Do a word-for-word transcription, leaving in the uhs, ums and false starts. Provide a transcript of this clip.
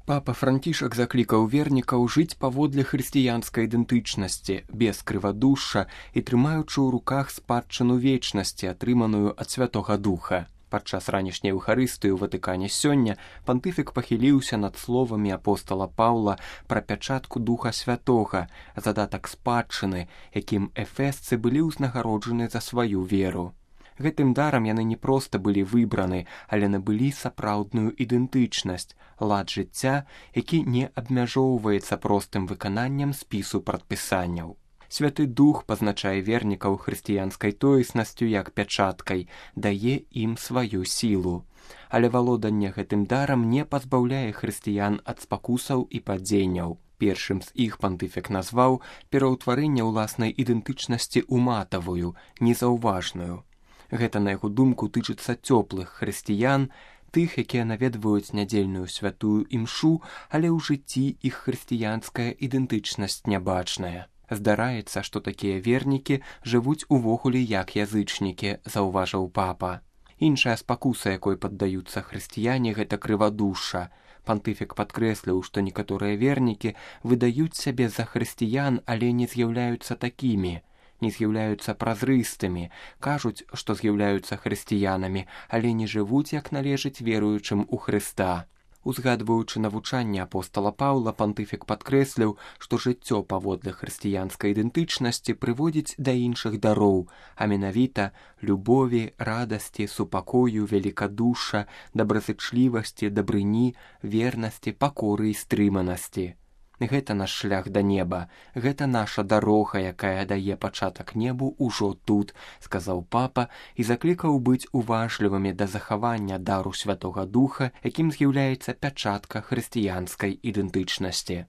Папа Францішак заклікаў вернікаў жыць паводле хрысціянскай ідэнтычнасці, без крывадушша і трымаючы ў руках спадчыну вечнасці, атрыманую ад Святога Духа. Падчас ранішняй Еўхарыстыі ў Ватыкане сёння пантыфік пахіліўся над словамі апостала Паўла пра пячатку Духа Святога, задатак спадчыны, якім эфесцы былі ўзнагароджаны за сваю веру. Гэтым дарам яны не проста былі выбраны, але набылі сапраўдную ідэнтычнасць, лад жыцця, які не абмяжоўваецца простым выкананнем спісу прадпісанняў. Святы Дух пазначае вернікаў хрысціянскай тоеснасцю як пячаткай, дае ім сваю сілу. Але валоданне гэтым дарам не пазбаўляе хрысціян ад спакусаў і падзенняў. Першым з іх пантыфік назваў пераўтварэнне ўласнай ідэнтычнасці ў матавую, незаўважную. Гэта, на яго думку, тычыцца цёплых хрысціян, тых, якія наведваюць нядзельную святую імшу, але ў жыцці іх хрысціянская ідэнтычнасць нябачная. Здараецца, што такія вернікі жывуць увогуле як язычнікі, заўважыў папа. Іншая спакуса, якой паддаюцца хрысціяне, гэта крывадушша. Пантыфік падкрэсліў, што некаторыя вернікі выдаюць сябе за хрысціян, але не з'яўляюцца такімі. Не з'яўляюцца празрыстымі, кажуць, што з'яўляюцца хрысціянамі, але не жывуць, як належыць веруючым у Хрыста. Узгадваючы навучанне апостала Паўла, пантыфік падкрэсліў, што жыццё паводле хрысціянскай ідэнтычнасці прыводзіць да іншых дароў, а менавіта любові, радасці, супакою, велікадушша, добразычлівасці, дабрыні, вернасці, пакоры і стрыманасці. Гэта наш шлях да неба, гэта наша дарога, якая дае пачатак небу ўжо тут, сказаў папа і заклікаў быць уважлівымі да захавання дару Святога Духа, якім з'яўляецца пячатка хрысціянскай ідэнтычнасці.